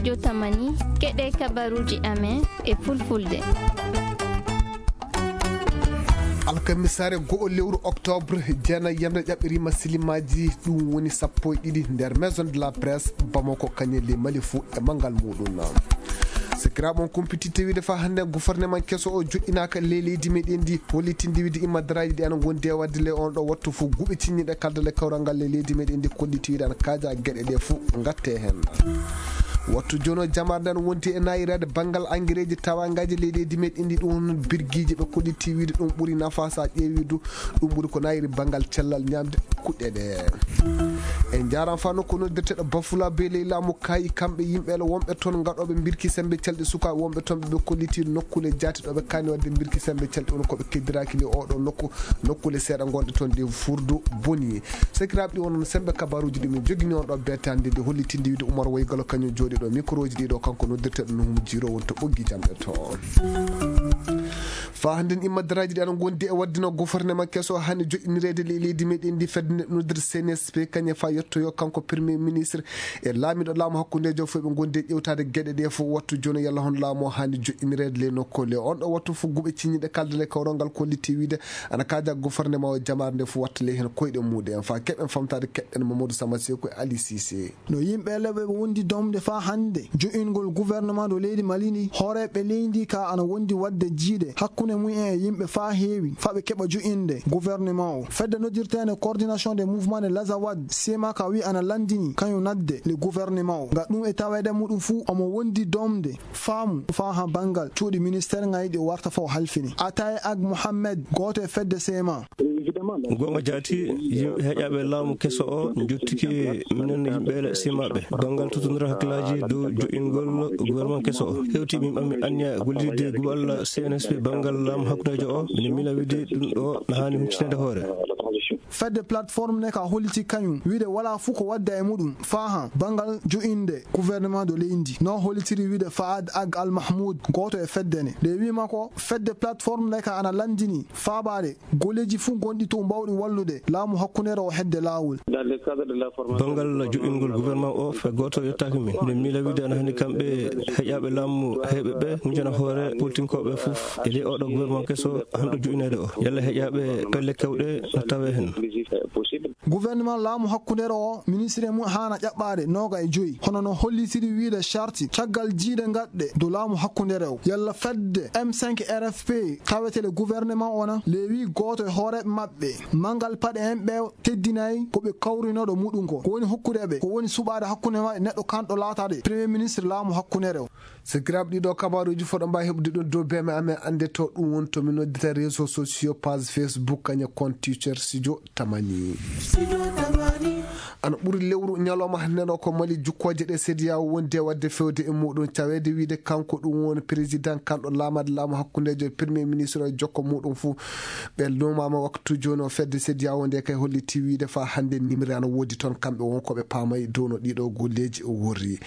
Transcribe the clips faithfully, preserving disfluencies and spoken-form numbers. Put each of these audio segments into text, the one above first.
Jotamani, keɗe kabaruuji amen e fulfulde. Alkamisaare go'o lewru oktoobre, jeenayi yamre ƴaɓɓiriima silimaaji, ɗum woni sappo e ɗiɗi nder Maison de la Presse, Bamako, Kanye, le Mali fuu e manngal muuɗum. Sakiraaɓe, on kumpititte wiide faa hannde gouvernement keso o joƴƴinaaka ley leydi meɗen ndi, hollitinde wiide immadaraaji ɗi ana ngondi e waɗde ley on ɗo wattu fuu guɓe ciññiɗe kalda le kawral ngal ley leydi meɗen ndi, kolliti wiide ana kaaja geɗe ɗe fuu ngatte heen. Wattu jooni o jamaare nde ana wondi e naayiraade banngal angireeji tawaangaaji ley leydi meɗen ndi, ɗum hono birgiiji ɓe kolliti wiide ɗum ɓuri nafa so a ƴeewi du, ɗum ɓuri ko naayiri banngal cellal ñaamde kuɗɗe ɗe. En njaaraama faa nokku noddirteeɗo Bafula be ley laamu kaayi, kamɓe yimɓe ele wonɓe toon ngaɗooɓe mbirki semmbe calɗi sukaaɓe wonɓe toon ɓe ɓe kolliti nokkuule jaati ɗo ɓe kaani waɗde mbirki semmbe calɗi woni ko ɓe keddiraaki ley oo ɗoo nokku, nokkuule seeɗa ngonɗe toon ɗe furdu boni. Sakiraaɓe, ɗi wonno semmbe kabaruuji ɗi min jogini on ɗo beetande nde hollitinde wiide Umar Waygalo kañum jooɗi ɗo microoji ɗi ɗo kanko noddirteeɗo Nuhumu Jiiro woni to ɓoggi jamɗe to. Faa hannde immadaraaji ɗi ana ngondi e waɗde no gouvernement keso haani joƴƴinireede ley leydi meɗen ndi fedde noddir C N S P kañe faa yettoyo kanko premier ministre e laamiiɗo laamu hakkundeejo fof ɓe ngondi e ƴewtaade geɗe ɗe fof wattu jooni yalla hono laamu o haani joƴƴinireede ley nokku le on ɗo wattu fof guɓe ciññiɗe kalda le kawral ngal kolliti wiide ana kaaja gouvernement o jamaare nde fof watta ley heen koyɗe muuɗum en faa keɓen famtaade keɗɗen Mamadou Sama Seeku e Ali Cissé. No yimɓe leɓe ɓe wondi domde faa hannde jo'ingol gouvernement de leydi Mali ndi, hooreeɓe leydi ka ana wondi waɗde jiiɗe hakkunde mum en e yimɓe faa heewi, faa ɓe keɓa jo'inde gouvernement o. Fedde noddirteende Coordination des Mouvements de l'Azawad, C M A, ka wi ana lanndini kañum naatde le gouvernement o. Nga ɗum e taweede muɗum fuu, omo wondi domde faamu faa haa banngal cuuɗi ministère ngaji ɗi o warta faa o halfini. Atay Ag Mohamed, gooto e fedde C M A. Goonga jaati, yimɓe heƴaaɓe laamu keso o njottike minen yimɓe ele simaaɓe. Banngal totondira hakkillaaji dow jo'ingol gouvernement keso o. Hewti min ɓammi anniya gollidde guɓal C N S P banngal laamu hakkundeejo o. Minen miila wiide ɗum ɗo na haani huccitande hoore. Fedde plateforme ne ka holliti kañum wiide wala fuu ko wadda e muɗum faa haa banngal jo'inde gouvernement de leydi. No hollitiri wiide Faad Ag Al Mahmoud, gooto e fedde ne. Nde wiima ko fedde plateforme ne ka ana lanndini faabaade golleeji fuu gonɗi to mbawɗi wallude laamu hakkundeere o hedde laawol. Banngal jo'ingol gouvernement o, fay gooto yottaaki min. Min miila wiide ana haani kamɓe heƴaaɓe laamu heewɓe ɓe, huncana hoore politinkooɓe fof e ley oɗo gouvernement keso hanɗo jo'ineede o. Yalla heƴaaɓe pelle keewɗe no tawee heen. Gouvernement laamu hakkundeere o, ministre mum haana ƴaɓɓaade nooga e joyi. Hono no hollitiri wiide charte caggal jiiɗe ngaɗɗe dow laamu hakkundeere o. Yalla fedde M cinq R F P tawetee le gouvernement o na leewi gooto e hooreeɓe maɓɓe. Manngal paɗe en ɓe teddinaay ko ɓe kawrinooɗo muɗum ko. Ko woni hokkude ɓe, ko woni suɓaade hakkunde maɓɓe neɗɗo kanɗo laataade premier ministre laamu hakkundeere o. Sakiraaɓe, ɗiɗo kabaruuji fof ɗo mbaawi heɓude ɗum dow B M amen annde to ɗum woni to min noddita réseaux sociaux, page Facebook, kañe compte Twitter, Studio Tamani. Ana ɓuri lewru ñalawma hannde ɗo ko Mali jukkooje ɗe C D A O wondi e waɗde fewde e muɗum caweede wiide kanko ɗum woni président kanɗo laamaade laamu hakkundeejo e premier ministre o e jokko muɗum fuu. Ɓe lumaama waktu jooni o fedde C D A O nde kay holliti wiide faa hannde nimri ana woodi toon kamɓe won ko ɓe paamay dow no ɗiɗo golleeji o worri.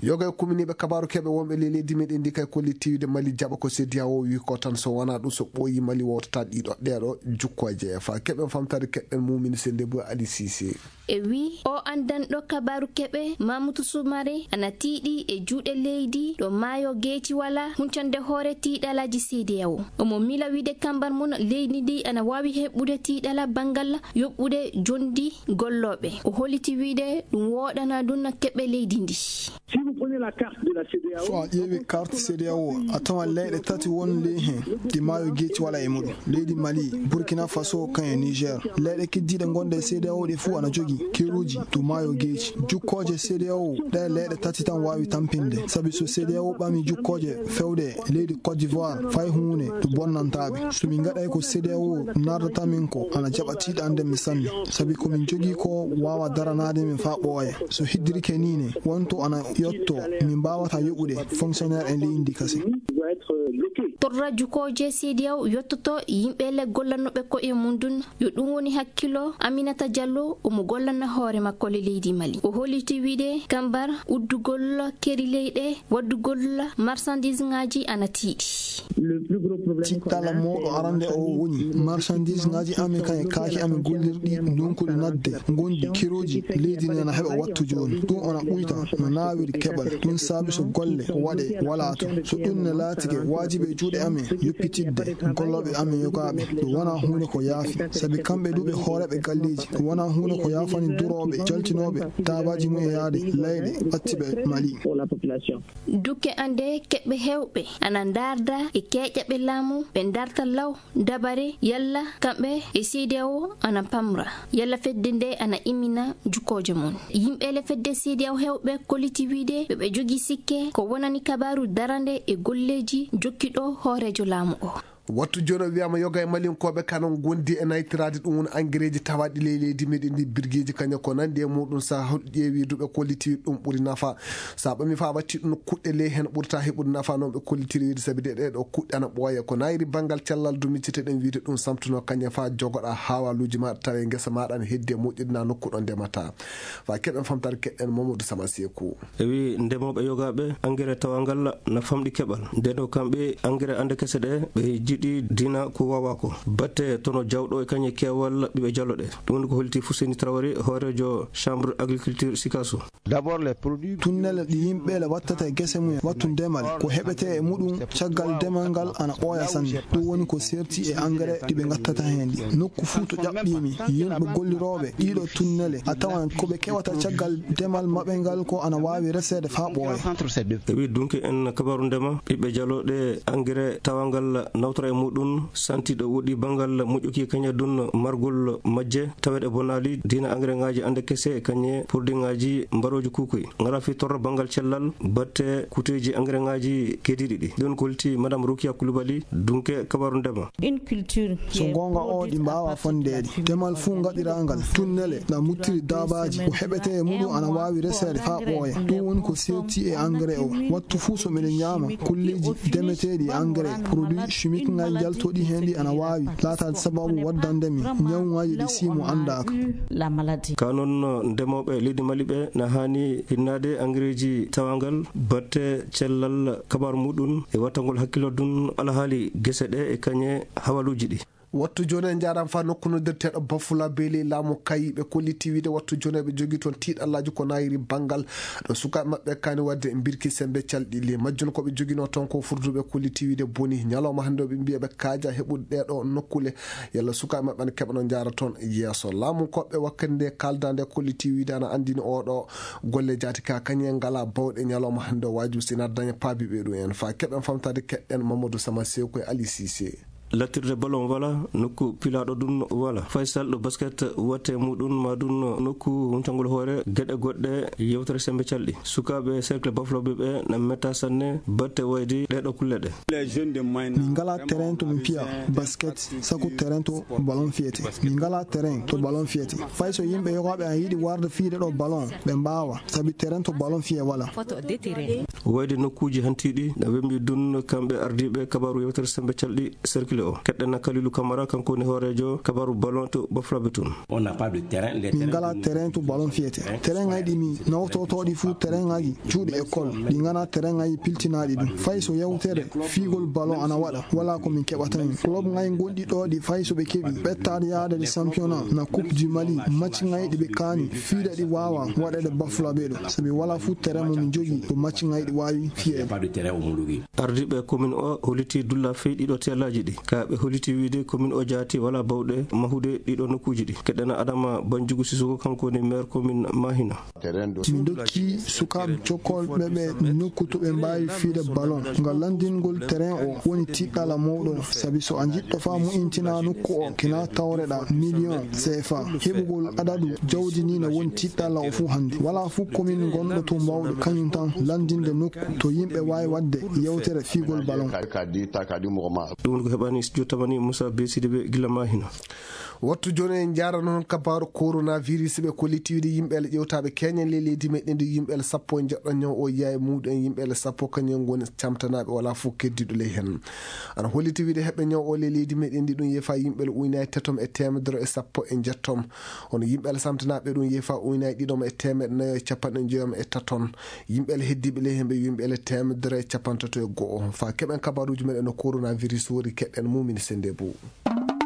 Yoga e kuminiiɓe kabaaru keɓe wonɓe ley leydi meɗen ndi kay kolliti wiide Mali jaɓa ko C D A O wi ko tan so wonaa ɗum so ɓooyi Mali wowtata ɗiɗo ɗeeɗo jukkooje. Faa keɓen famtaade keɓɓen mumini sende bo Ali Cissé. E wi o anndanɗo kabaaru keɓe Mamutu Sumare ana tiiɗi e juuɗe leydi ɗo maayo geeci wala huncande hoore tiiɗalaaji C D A O. Omo miila wiide kambar mum leydi ndi ana waawi heɓɓude tiiɗala banngal yoɓɓude jondi gollooɓe. O holliti wiide ɗum wooɗana ɗum keɓe leydi ndi. Si vous prenez la carte de la C D A O, so a ƴeewi carte C D A O, a tawan leyɗe tati won ley heen ɗi maayo geeci wala e muɗum. Leydi Mali, Burkina Faso, kan e Niger. Leyɗe keddiiɗe gonɗe e C D A O ɗe fuu ana jogii keruuji to maayo geeci. Jukkooje C D A O, ɗe leyɗe tati tan waawi tampinde. Sabi so C D A O ɓami jukkooje fewde leydi Côte d'Ivoire, fay huunde ɗo bonnantaa ɓe. So min ngaɗay ko C D A O nardata min ko, ana jaɓa tiiɗande min sanne. Sabi ko min jogii ko waawa daranaade min faa ɓooya. So heddirike nii ne, wonto ana yotto min mbaawataa yoɓude fonctionnaire en leydi ndi kasen. Torra jukooje C D A O yottoto yimɓe le gollanooɓe koye mum ɗum, yo ɗum woni hakkilo Aminata Diallo, omo gollana hoore makko le leydi Mali. O holliti wiide kambar uddugol keri leyɗe, waddugol marchandise ŋaaji ana tiiɗi. Tiɗɗala mawɗo arande o woni marchandise ŋaaji amen kan e kaaki amen gollirɗi ndunkuɗi nadde, ngondi kerooji leydi ndi ana heɓa wattu jooni. Ɗum ana ɓuyta no naawiri keɓal. Ɗum saabi so golle ko waɗe walaa to. So ɗum ne laatike waajibi e juuɗe amen yoppitidde gollooɓe amen yogaaɓe, ɗum wonaa huunde ko yaafi. Sabi kamɓe ɗuuɓe hooreeɓe galleeji, ɗum wonaa huunde ko yaafani durooɓe, jaltinooɓe daabaaji mum e yaade layɗe ɓattiiɓe Mali. Dukke ande keɓɓe heewɓe ana ndaarda e keeƴaɓe laamu, ɓe ndaarta law dabare yalla kamɓe e C D A O ana pamra yalla fedde nde ana immina jukooje mum. Yimɓe le fedde C D A O heewɓe kolliti wiide ɓe ɓe jogi sikke ko wonani kabaaru darande e golleeji jokkiɗo hooreejo laamu o. Wattu jooni o wiyaama yoga e malinkooɓe kana ngondi e naytiraade ɗum woni angereeji tawaaɗi ley leydi meɗen ndi birgeeji kaña ko nandi e muɗum. Saha holɗi ƴeewi duɓe kolliti ɗum ɓuri nafa. Sa ɓami fa watti ɗum kuɗɗe ley heen ɓurta heɓude nafa noon ɓe kollitiri wiide sabi de ɗee ɗo kuɗɗe ana ɓooya ko nayri banngal cellal du micciteɗen wiide ɗum samtuno kañe fa jogoɗa hawaluuji maɗa tawe ngesa maɗa ne heddi e moƴƴude na nokku ɗo ndemata. Fa keɓen famtare keɗɗen Mamadou Sama Seeku. E wi ndemooɓe yogaaɓe engrais tawangal na famɗi keɓal. Ndeno kamɓe engrais ande kese ɗe ɓe jiɗi dina ko wawa ko. Batte tono jawɗo e kañe keewal ɓiɓe jalo ɗe. Ɗum woni ko holti Fuseni Traoré, hooreejo chambre agriculture Sikasso. D'abord les produits tunnele ɗi yimɓe le wattata e gese mum wattu ndemal ko heɓete e muɗum caggal demal ngal ana ɓooya sanne. Ɗum woni ko serti e engrais ɗi ɓe gattata heen ɗi. Nokku fuu to ƴaɓɓimi yimɓe gollirooɓe ɗiɗo tunnele a tawan ko ɓe kewata caggal demal maɓɓe ngal ko ana waawi reseede faa ɓooya. E wi dunki en kabaru ndema ɓiɓɓe jalo ɗe engrais tawangal nawtora e muɗum santiɗo woɗi bangal moƴƴuki kañe dun margol majje taweɗe bonali dina engrais ngaji ande kese kañe produit ngaji mbaroji kukoy ngara fi torro bangal cellal batte kuteji engrais ngaji kediɗi ɗi ɗon kolti madame Rukia Koulibaly dunke kabaru ndema. So goonga o ɗi mbaawa fondeede. Demal fuu ngaɗiraangal tunnele na muttiri daabaaji ko heɓete e muɗum ana waawi reseede faa ɓooya. Ɗum woni ko seerti e engrais o. Wattu fuu so miɗen ñaama kulleeji demeteeɗi e engrais produit chimique ngaji njaltoɗi heen ɗi ana waawi laataade sababu waddande mi ñawŋaaji ɗi siimo anndaaka. Ka noon ndemooɓe leydi Mali ɓe na haani hinnaade engrais ji tawangal batte cellal kabaru muɗum e wattangol hakkilo dun alhaali gese ɗe e kañe hawaluuji ɗi. Wattu jooni en njaaraama faa nokku noddirteeɗo Bafula Beeli laamu Kayi ɓe kolliti wiide wattu jooni eɓe jogii toon tiiɗallaaji ko naayiri banngal ɗo sukaaɓe maɓɓe kaani waɗde mbirki semmbe calɗi. Ley majjum ko ɓe joginoo toon ko furduɓe kolliti wiide boni ñalawma hannde o ɓe mbiya ɓe kaaja heɓude ɗee ɗo nokkule yalla sukaaɓe maɓɓe ana keɓanoo njaara toon yeeso. Laamu koɓɓe wakkati nde kaalda nde kolliti wiide ana anndini oo ɗo golle jaati ka kañe ngalaa bawɗe ñalawma hannde o waajibi sina daña paabi ɓe ɗum en faa keɓen famtaade keɗɗen Mamadou Sama Sew koye Ali Cissé. Lattirde ballon wala nokku pilaaɗo ɗum wala faysal ɗo basket watte muɗum ma ɗum nokku huntagol hoore geɗe goɗɗe yewtere sembe calɗi sukaaɓe cercle bafloɓe ɓe na metta sanne batte waydi ɗeɗo kulle ɗe. Min ngala terrain to min piya basket saku terrain to ballon fiyete. Min ngala terrain to ballon fiyete. Fay so yimɓe yogaɓe an yiɗi warde fiide ɗo ballon ɓe mbawa sabi terrain to ballon fiye wala. Wayde nokkuuji hantiiɗi na wembi dun kamɓe ardiiɓe kabaru yewtere sembe calɗi cercle o keɗɗena Kalilu Kamara kanko woni hooreejo kabaru ballon to baflaɓe tun. Min ngala terrain to ballon fiyete. Terrain ngaji ɗi mi nawtotoɗi fuu terrain ngaji cuuɗi école ɗi ngana terrain ngaji piltinaɗi ɗum fay so yewtere fiigol ballon ana waɗa wala ko min keɓata hen. Club ngaji gonɗi ɗo ɗi fay so ɓe keɓi ɓettaade yaade ɗe championnat na coupe du Mali match ngaji ɗi ɓe kaani fiida ɗi wawa waɗede baflaɓe ɗo sabi wala fuu terrain mo min jogii ɗo match ngaji ɗi wawi fiyede. Ardiiɓe commune o holiti dulla fey ɗiɗo teelaji ɗi ka ɓe holiti wiide commune o jaati wala bawɗe mahude ɗiɗo nokkuji ɗi keɗɗena Adama Banjugu Sisoko kanko woni maire commune Mahina. Min dokki sukaaɓe cokkolɓe ɓe nokku to ɓe mbaawi fiide ballon. Ngam lanndingol terrain o woni tiɗɗala mawɗo, sabi so a jiɗɗo faa mo'intina nokku o, kina tawreɗa million C F A. Heɓugol adadu jawdi ni na woni tiɗɗala o fuu hannde. Walaa fuu commune ngonɗo to mbaawɗo kañum tan lanndinde nokku to yimɓe waawi waɗde yewtere fiigol ballon. Ɗum woni ko heɓani studio tamani Moussa Be Sidibé gila Mahina. Wattu jooni en njaarano noon kabaaru coronavirus, ɓe kolliti wiide yimɓe ele ƴewtaaɓe keñen ley leydi meɗen ndi, yimɓe ele sappo e njeɗɗo ñaw o yiya e muuɗum en, yimɓe ele sappo kañum en ngoni camtanaaɓe, walaa fof keddiiɗo ley heen. Ana holliti wiide heɓɓe ñaw o ley leydi meɗen ndi ɗum yeefa yimɓe ele uynaaji tatom e teemedere e sappo e njettom. Hono yimɓe ele samtanaaɓe ɗum yeefa uynaaji ɗiɗom e teemeɗe nayo e capanɗe njoyom e taton. Yimɓe ele heddiiɓe ley heen ɓe yimɓe ele teemedere e capantato e go'o. Faa keɓen kabaaruuji meɗen no coronavirus woni keɗen Mumini Sendebou.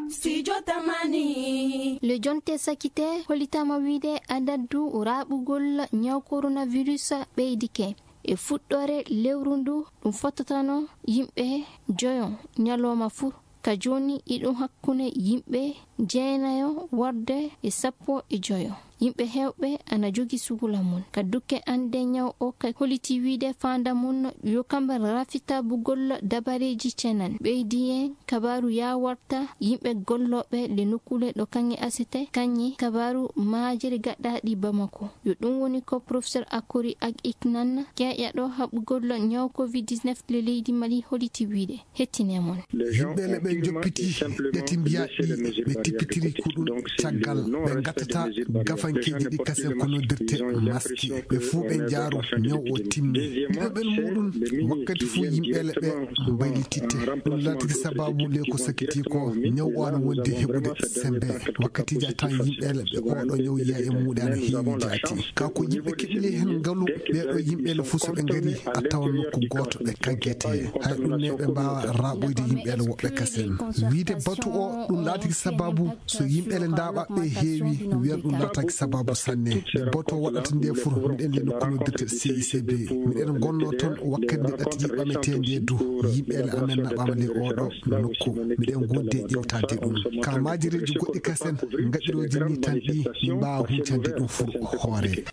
Studio Tamani. Le jonte sakite hollitaama wiide adadu raaɓugol ñaw coronavirus ɓeydike. E fuɗɗoore lewru ndu ɗum fottatano yimɓe joyo ñalawma fuu. Ka jooni iɗum hakkunde yimɓe jeenayo warde e sappo e joyo. Yimɓe heewɓe ana jogi sugula mum. Ka dukke annde ñaw o ka holliti wiide faanda mum yo kamɓe rafitabugol dabareeji cenan. Ɓeydi en kabaaru yaawarta yimɓe gollooɓe le nokkuule ɗo kaŋŋe asete kaŋŋe kabaaru maajere gaɗaaɗi Bamako. Yo ɗum woni ko professeur Akori Ak Iknan keeƴaɗo haɓugol ñaw covid dix-neuf le leydi Mali holliti wiide. Hettine mon. Yimɓe ele ɓe njoppiti ɗeti mbiyaɗi ɓe tippitiri kuɗu caggal ɓe ngattata gafankeeji ɗi kasen ko noddirte maski. Ɓe fuu ɓe njaaru ñaw o timmi. Ɗiɗo ɓen muuɗum wakkati fuu yimɓe ele ɓe mbaylititte. Ɗum laatiri sababu le ko sakiti ko ñaw o ana wondi heɓude sembe. Wakkatiiji a tawan yimɓe ele ɓe oɗo ñaw yiya e muuɗe ana heewi jaati. Ka ko yimɓe keɓli heen ngalu ɓeeɗo yimɓe ele fof so ɓe ngari a tawan nokku gooto ɓe kaggete. Hay ɗum ne ɓe mbaawa raaɓoyde yimɓe ele woɓɓe kasen. Wiide batu o ɗum laatiki sababu so yimɓe ele ndaaɓa ɓe heewi wiyan ɗum laataki sababu sanne. Nde batu o waɗata nde fof miɗen le nokku noddirte C I C B. Miɗen ngonno toon wakkati nde ɗattiji ɓametee nde du. Yimɓe ele amen naɓaama le oɗo nokku. Miɗen gondi e ƴewtade ɗum. Ka maajireeji goɗɗi kasen ngaɗirooji ni tan ɗi min mbaawa huncande ɗum fur hoore.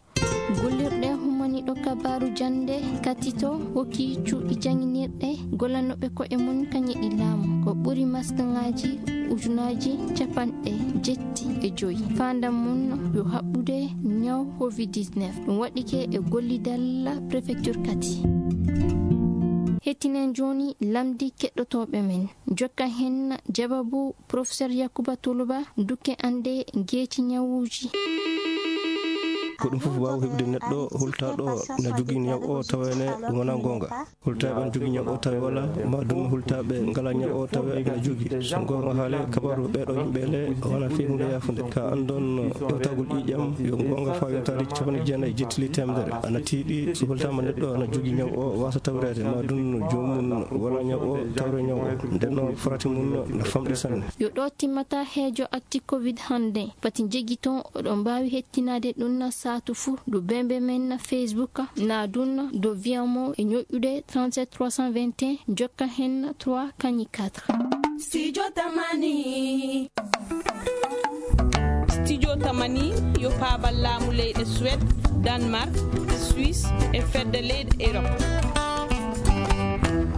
Gollirɗe hummaniiɗo kabaaru jannde katito hokki cuuɗi jannginirɗe gollanooɓe ko'e mum kañe ɗi laamu. Ko ɓuri maskiŋaaji ujunaaji capanɗe jetti e joyi. Faandam mum yo haɓɓude ñaw covid dix-neuf. Ɗum waɗike e gollidal préfecture kati. Hettinen jooni lamndi keɗɗotooɓe men. Jokka heen jawabu Professeur Yakuba Tuluba, dukke annde geeci ñawuuji. Ko ɗum fof waawi heɓde neɗɗo hultaaɗo na jogii ñaw o, tawa ene ɗum wonaa goonga. Hultaaɓe ene jogii ñaw o, tawi wala, ma ɗum hultaaɓe ngalaa ñaw o, tawa ene jogii. So goonga haale, kabaaru ɓeeɗo yimɓe le wonaa fii huunde yaafunde. Ka anndon ƴewtagol ƴiiƴam, yo goonga faa yontaade capanɗe jeenayi jettili teemedere. Ana tiiɗi, so hultaama neɗɗo ana jogii ñaw o, waasa tawreede, ma ɗum joomum wala ñaw o, tawre ñaw o. Nden noon, farati mum no famɗi sanne. Yo ɗo timmata heejo acti covid hannde. Pati jegi toon oɗon mbaawi hettinaade ɗum na saatu fuu. Ɗo bembe men na Facebook, na ɗum ɗo viyamo e ñoƴƴude trente-sept trois cent vingt et un, jokka heen trois kañi quatre. Studio Tamani. Studio Tamani yo paabal laamu leyɗe Suède, Danemark, Suisse e fedde leyɗe Europe.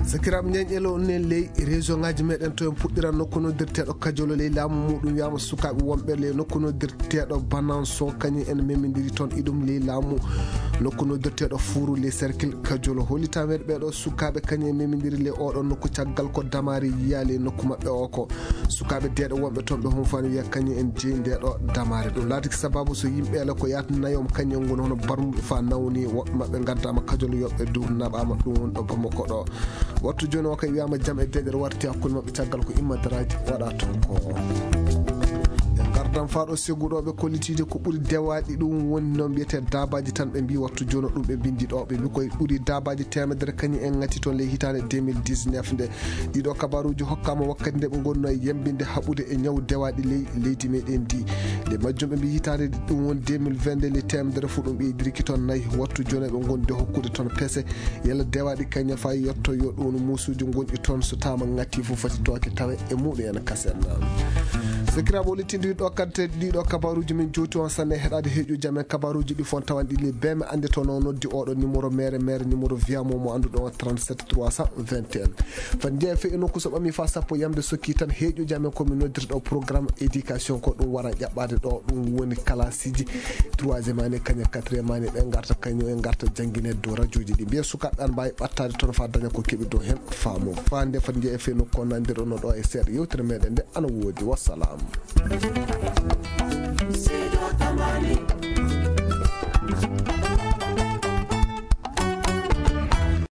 Sakiraaɓe, ñeeñelo ne ley région ngaji meɗen to en puɗɗiran nokku noddirteeɗo Kajolo ley laamu muɗum wiyama sukaaɓe wonɓe ley nokku noddirteeɗo Bananso kañum en memidiri toon iɗum ley laamu nokku noddirteeɗo Furu ley cercle Kajolo. Hollitameɗe ɓeeɗo sukaaɓe kañum en memidiri ley oɗo nokku caggal ko damaare yiya ley nokku maɓɓe o ko sukaaɓe deeɗo wonɓe toon ɓe honfani wiya kañum en jeyi ndeɗo damaare. Ɗum laatiki sababu so yimɓe ele ko yaata nayom kañum en ngoni hono barmuɓe fa nawni woɓɓe maɓɓe ngaddama Kajolo yoɓɓe dow naɓama ɗum woni ɗo Bamako ɗo. Wattu jooni o kay wiyama jam e deeƴere warti hakkunde maɓɓe caggal ko immadaraaji waɗa toon ko. E ngardam faa ɗo seguɗo ɓe kollitiide ko ɓuri dewaɗi ɗum woni noon mbiyete dabaji tan ɓe mbi wattu jooni ɗum ɓe mbindi ɗo ɓe mbi koye ɓuri dabaji teemedere kañum en ngati toon ley hitaande deux mille dix-neuf nde. Ɗiɗo kabaruuji hokkaama wakkati nde ɓe ngonno e yembinde haɓude e ñaw dewaɗi ley leydi meɗen ndi. Nde majjum ɓe mbi hitaande ɗum woni deux mille vingt-deux le teemedere fof ɗum ɓeydiriki toon nayi wattu jooni ɓe ngondi hokkude toon pese. Yalla dewaɗi kañum faa yetto yo ɗum muusuuji ngonɗi toon so taama ŋatti fof fati tooke tawe e muɗum en kasen. Sakiraaɓe o lettindi ɗo Ante ɗiɗo kabaruji min jowti on sanne heɗade heeƴuji amen kabaruji ɗi fon tawan ɗi le beme ande to no noddi oɗo numéro mere mere numéro viyamo mo annduɗo on trente-sept trois cent vingt et un. Fan jeeya fe e nokku so ɓami fa sappo yamde sokki tan heeƴuji amen komi noddirɗo programme éducation ko ɗum waran ƴaɓɓade ɗo ɗum woni kalasiji troisième année kañum quatrième année ɓe garta kañum en garta jangguinede dow radioji ɗi mbiya sukaɓe an mbawi ɓattade toon fa daña ko keɓi dow hen faamo fa nde fan jeeya fe nokku on nandirɗo no ɗo e seeɗa yewtere meɗen nde ana woodi wassalam. Sido Tamani.